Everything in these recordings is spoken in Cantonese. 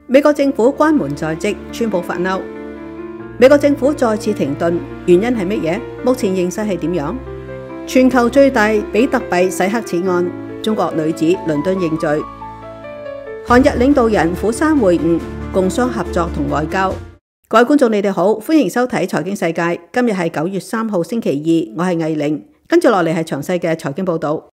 美國政府關門在即，川普發嬲。美國政府再次停頓，原因係乜嘢？目前形勢係點樣？全球最大比特幣洗黑錢案，中國女子倫敦認罪。韓日領導人釜山會晤，共商合作同外交。各位觀眾，你哋好，歡迎收睇財經世界。今日係9月3號星期二，我係藝玲。跟住落嚟係詳細嘅財經報道。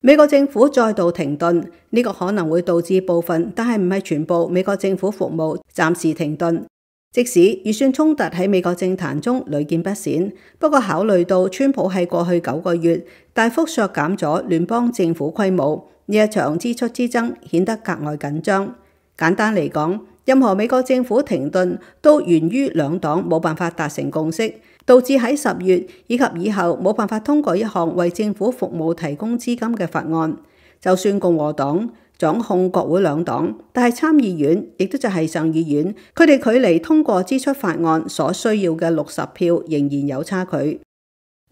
美國政府再度停頓，呢個可能會導致部分，但係唔係全部美國政府服務暫時停頓。即使預算衝突喺美國政壇中屢見不鮮，不過考慮到川普喺過去9個月大幅削減咗聯邦政府規模，呢一場支出之爭顯得格外緊張。簡單嚟講，任何美國政府停頓都源於兩黨冇辦法達成共識，導致喺10月以及以後冇辦法通過一項為政府服務提供資金嘅法案。就算共和黨掌控國會兩黨，但係參議院亦都就係上議院，佢哋距離通過支出法案所需要嘅60票仍然有差距。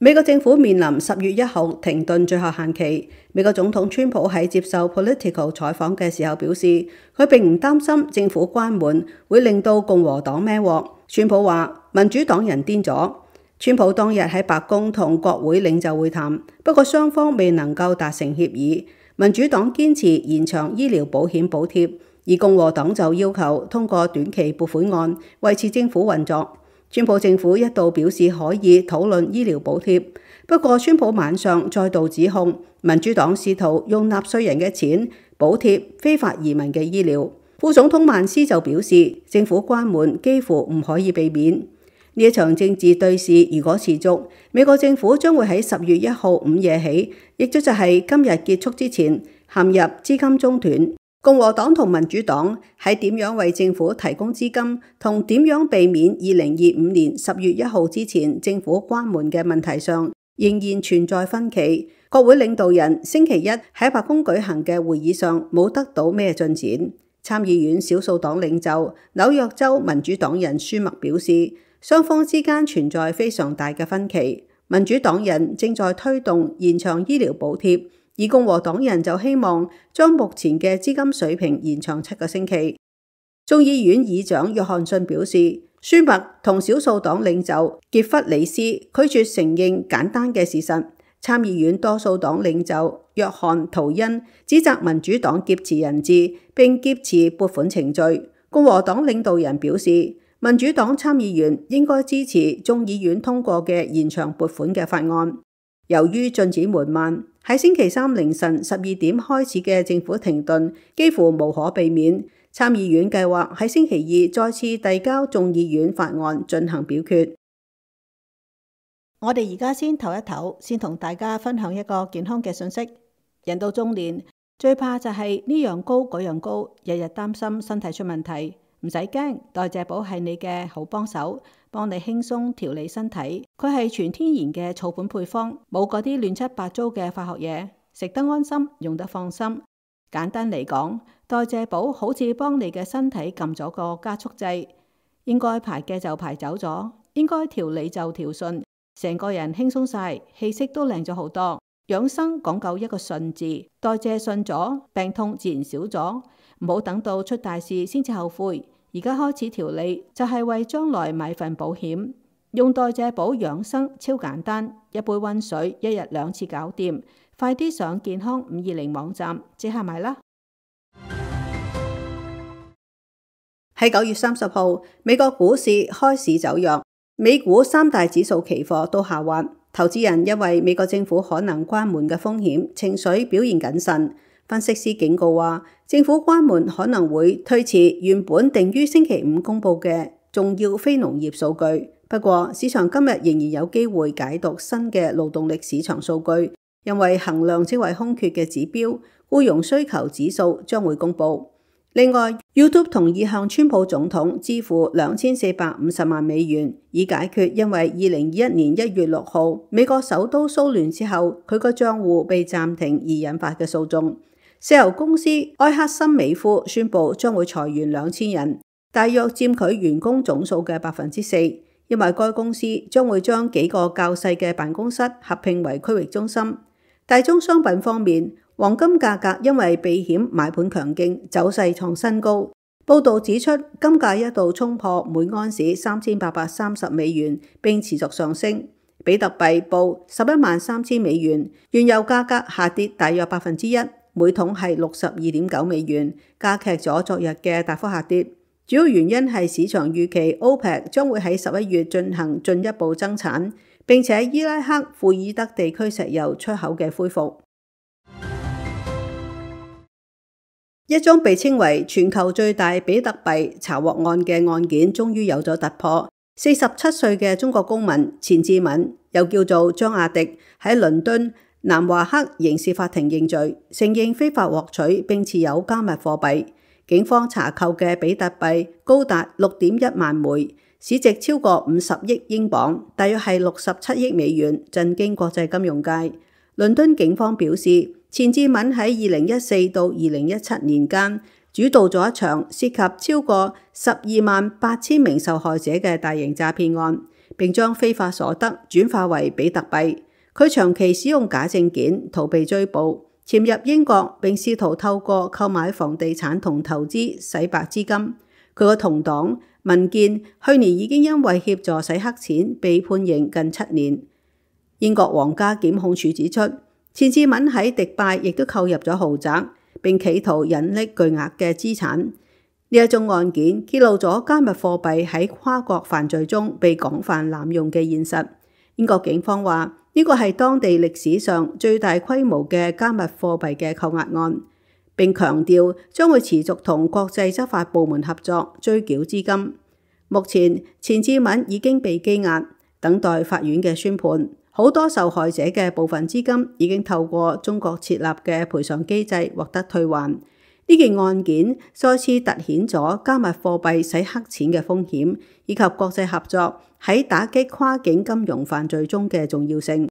美國政府面臨10月1號停頓最後限期。美國總統川普喺接受 Politico 採訪嘅時候表示，佢並唔擔心政府關門會令到共和黨孭鑊。川普話民主黨人癲咗。川普當日喺白宮同國會領袖會談，不過雙方未能夠達成協議。民主黨堅持延長醫療保險補貼，而共和黨就要求通過短期撥款案維持政府運作。川普政府一度表示可以討論醫療補貼，不過川普晚上再度指控民主黨試圖用納稅人嘅錢補貼非法移民嘅醫療。副總統曼斯就表示，政府關門幾乎唔可以避免。呢一場政治對峙如果持續，美國政府將會喺10月1號午夜起，亦都就係今日結束之前，陷入資金中斷。共和黨同民主黨喺點樣為政府提供資金，同點樣避免2025年10月1號之前政府關門嘅問題上，仍然存在分歧。國會領導人星期一喺白宮舉行嘅會議上冇得到咩進展。參議院少數黨領袖紐約州民主黨人舒默表示，雙方之間存在非常大嘅分歧。民主黨人正在推動延長醫療補貼，而共和黨人就希望將目前嘅資金水平延長7個星期。眾議院議長約翰遜表示，舒默同少數黨領袖傑弗里斯拒絕承認簡單嘅事實。參議院多數黨領袖約翰圖恩指責民主黨劫持人質並劫持撥款程序。共和黨領導人表示，民主黨參議員應該支持眾議院通過嘅延長撥款嘅法案。由於進展緩慢，喺星期三凌晨12點開始嘅政府停頓幾乎無可避免。參議院計劃喺星期二再次遞交眾議院法案進行表決。我哋而家先唞一唞，先同大家分享一個健康嘅信息。人到中年，最怕就係呢樣高嗰樣高，日日擔心身體出問題。唔使驚，代謝寶係你嘅好幫手，幫你輕鬆調理身體。佢係全天然嘅草本配方，冇嗰啲亂七八糟嘅化學嘢，食得安心，用得放心。簡單嚟講，代謝寶好似幫你嘅身體撳咗個加速掣，應該排嘅就排走咗，應該調理就調順，成個人輕鬆晒，氣色都靚咗好多。養生講究一個順字，代謝順咗，病痛自然少咗。唔好等到出大事先至後悔，而家開始調理就係為將來買份保險。用代謝寶養生超簡單，一杯溫水1日2次搞掂。快啲上健康520網站即刻買啦！喺9月30號，美國股市開市走弱，美股3大指數期貨都下滑。投資人因為美國政府可能關門嘅風險，情緒表現謹慎。分析師警告話，政府關門可能會推遲原本定於星期5公佈嘅重要非農業數據。不過，市場今日仍然有機會解讀新嘅勞動力市場數據，因為衡量職位空缺嘅指標僱傭需求指數將會公佈。另外 ，YouTube 同意向川普總統支付2450萬美元，以解決因為2021年1月6號美國首都騷亂之後，佢個賬戶被暫停而引發嘅訴訟。石油公司埃克森美孚宣布將會裁員2000人，大約佔佢員工總數嘅4%。因為該公司將會將幾個較細嘅辦公室合併為區域中心。大宗商品方面，黃金價格因為避險買盤強勁，走勢創新高。報道指出，金價一度衝破每盎司$3830，並持續上升。比特幣報$113,000，原油價格下跌大約1%，每桶係$62.9，加劇咗昨日嘅大幅下跌。主要原因係市場預期 OPEC 將會喺11月進行進一步增產，並且伊拉克庫爾德地區石油出口嘅恢復。一宗被稱為全球最大比特幣查獲案嘅案件終於有咗突破。47歲嘅中國公民錢志敏，又叫做張亞迪，喺倫敦南華克刑事法庭認罪，承認非法獲取並持有加密貨幣。警方查扣嘅比特幣高達6.1萬枚，市值超過50億英鎊，大約係67億美元，震驚國際金融界。倫敦警方表示，錢志敏喺2014到2017年間主導咗一場涉及超過128000名受害者嘅大型詐騙案，並將非法所得轉化為比特幣。佢長期使用假證件逃避追捕，潛入英國並試圖透過購買房地產同投資洗白資金。佢個同黨民建去年已經因為協助洗黑錢被判刑近7年。英國皇家檢控處指出，錢志敏喺迪拜亦都購入咗豪宅，並企圖隱匿巨額嘅資產。呢一宗案件揭露咗加密貨幣喺跨國犯罪中被廣泛濫用嘅現實。英國警方話，呢個係當地歷史上最大規模嘅加密貨幣嘅扣押案，並強調將會持續同國際執法部門合作追繳資金。目前，錢志敏已經被羈押，等待法院嘅宣判。好多受害者嘅部分資金已經透過中國設立嘅賠償機制獲得退還。呢件案件再次凸顯咗加密貨幣洗黑錢嘅風險，以及國際合作喺打擊跨境金融犯罪中嘅重要性。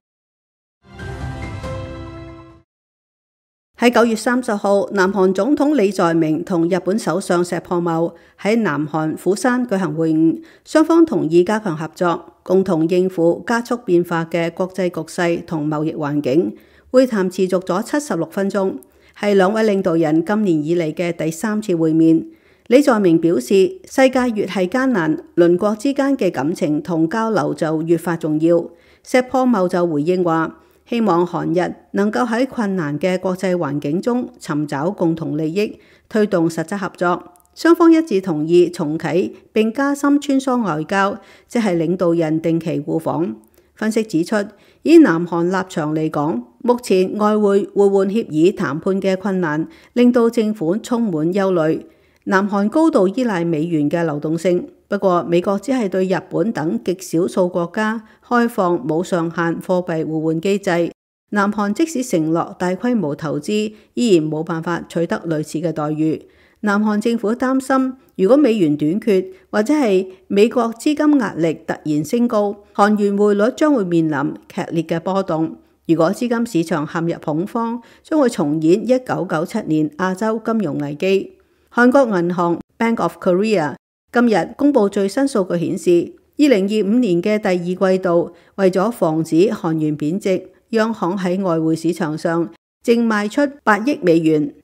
喺9月30號，南韓總統李在明同日本首相石破茂喺南韓釜山舉行會晤，雙方同意加強合作，共同應付加速變化嘅國際局勢同貿易環境。會談持續咗76分鐘，係兩位領導人今年以嚟嘅第3次會面。李在明表示，世界越係艱難，鄰國之間嘅感情同交流就越發重要。石破茂就回應話，希望韓日能夠喺困難嘅國際環境中尋找共同利益，推動實質合作。雙方一致同意重啟並加深穿梭外交，即係領導人定期互訪。分析指出，以南韓立場嚟講，目前外匯互換協議談判嘅困難，令到政府充滿憂慮。南韓高度依賴美元嘅流動性，不過美國只係對日本等極少數國家開放冇上限貨幣互換機制。南韓即使承諾大規模投資，依然冇辦法取得類似嘅待遇。南韓政府擔心，如果美元短缺或者係美國資金壓力突然升高，韓元匯率將會面臨劇烈嘅波動。如果資金市場陷入恐慌，將會重演1997年亞洲金融危機。韓國銀行 Bank of Korea 今日公布最新數據顯示，2025年嘅第二季度，為咗防止韓元貶值，央行喺外匯市場上淨賣出8億美元。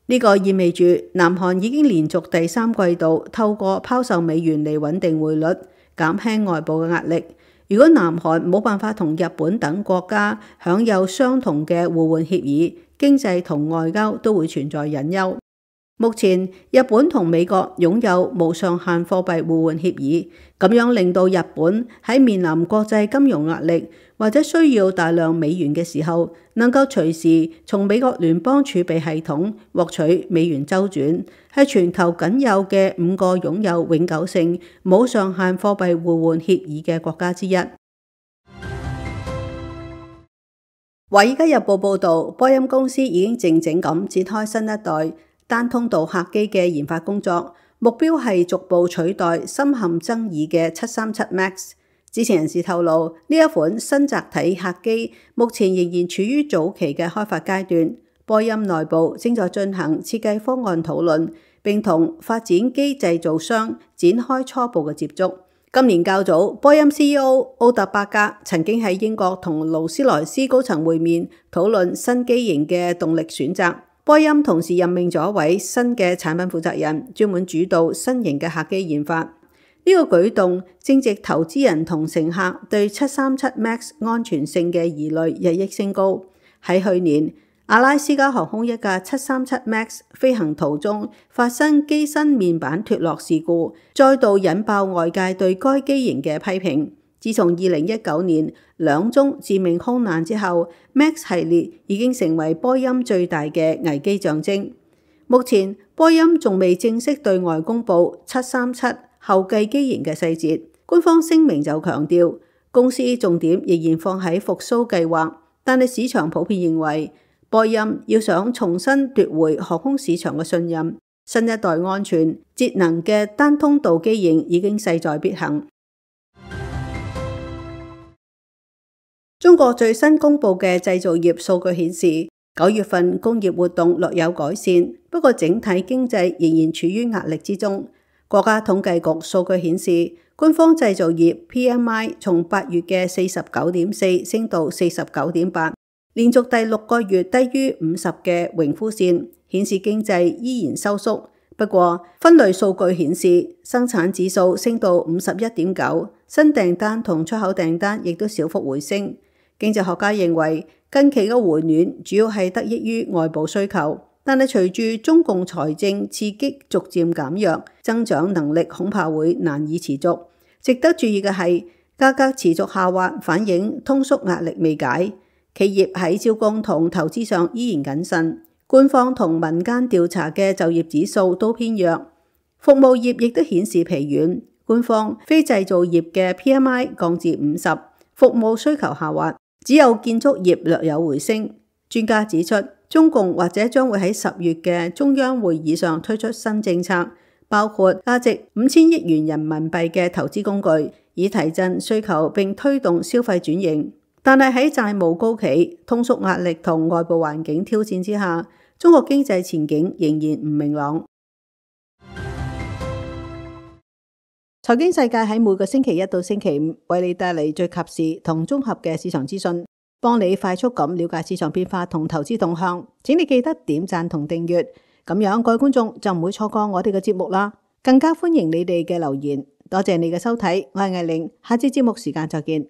呢個意味住南韓已經連續第3季度透過拋售美元嚟穩定匯率，減輕外部嘅壓力。如果南韓冇辦法同日本等國家享有相同嘅互換協議，經濟同外交都會存在隱憂。目前，日本同美國擁有無上限貨幣互換協議，咁樣令到日本喺面臨國際金融壓力或者需要大量美元嘅時候，能夠隨時從美國聯邦儲備系統獲取美元周轉，係全球僅有嘅5個擁有永久性無上限貨幣互換協議嘅國家之一。《華爾街日報》報導，波音公司已經靜靜咁展開新一代單通道客機嘅研發工作，目標係逐步取代深陷爭議嘅737 MAX。知情人士透露，呢一款新載體客機目前仍然處於早期嘅開發階段，波音內部正在進行設計方案討論，並同發展機製造商展開初步嘅接觸。今年較早，波音 CEO 奧特伯格曾經喺英國同勞斯萊斯高層會面，討論新機型嘅動力選擇。波音同時任命咗一位新嘅產品負責人，專門主導新型嘅客機研發。呢個舉動正值投資人同乘客對737 MAX 安全性嘅疑慮日益升高。喺去年，阿拉斯加航空一架737 MAX 飛行途中發生機身面板脫落事故，再度引爆外界對該機型嘅批評。自從2019年2宗致命空難之後， MAX 系列已經成為波音最大嘅危機象徵。目前，波音仲未正式對外公布737後繼機型嘅細節，官方聲明就強調公司重點仍然放喺復甦計劃，但係市場普遍認為波音要想重新奪回航空市場嘅信任，新一代安全節能嘅單通道機型已經勢在必行。中國最新公布嘅製造業數據顯示，9月份工業活動略有改善，不過整體經濟仍然處於壓力之中。國家統計局數據顯示，官方製造業 PMI 從8月嘅49.4升到49.8，連續第6個月低於50嘅榮枯線，顯示經濟依然收縮。不過分類數據顯示，生產指數升到51.9，新訂單同出口訂單亦都小幅回升。經濟學家認為，近期嘅回暖主要係得益於外部需求，但係隨住中共財政刺激逐漸減弱，增長能力恐怕會難以持續。值得注意嘅係，價格持續下滑，反映通縮壓力未解。企業喺招工同投資上依然謹慎。官方同民間調查嘅就業指數都偏弱，服務業亦都顯示疲軟。官方非製造業嘅 PMI 降至50，服務需求下滑。只有建築業略有回升。專家指出，中共或者將會喺10月嘅中央會議上推出新政策，包括價值5000億元人民幣嘅投資工具，以提振需求並推動消費轉型。但係喺債務高企、通縮壓力同外部環境挑戰之下，中國經濟前景仍然唔明朗。財經世界喺每個星期1到星期5為你帶嚟最及時同綜合嘅市場資訊，幫你快速咁了解市場變化同投資動向。請你記得點讚同訂閱，咁樣各位觀眾就唔會錯過我哋嘅節目啦。更加歡迎你哋嘅留言。多謝你嘅收睇，我係艾玲，下次節目時間再見。